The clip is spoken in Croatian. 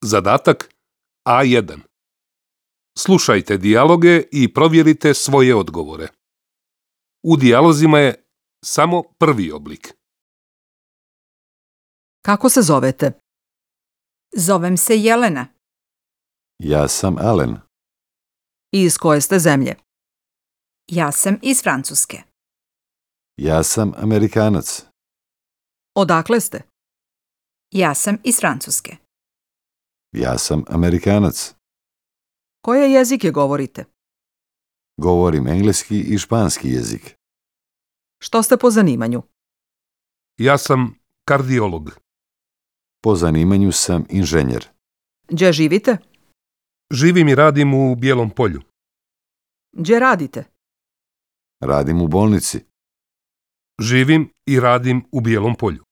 Zadatak A1. Slušajte dijaloge i provjerite svoje odgovore. U dijalozima je samo prvi oblik. Kako se zovete? Zovem se Jelena. Ja sam Alen. I iz koje ste zemlje? Ja sam iz Francuske. Ja sam Amerikanac. Odakle ste? Ja sam iz Francuske. Ja sam Amerikanac. Koje jezike govorite? Govorim engleski i španski jezik. Što ste po zanimanju? Ja sam kardiolog. Po zanimanju sam inženjer. Gdje živite? Živim i radim u Bijelom Polju. Gdje radite? Radim u bolnici. Živim i radim u Bijelom Polju.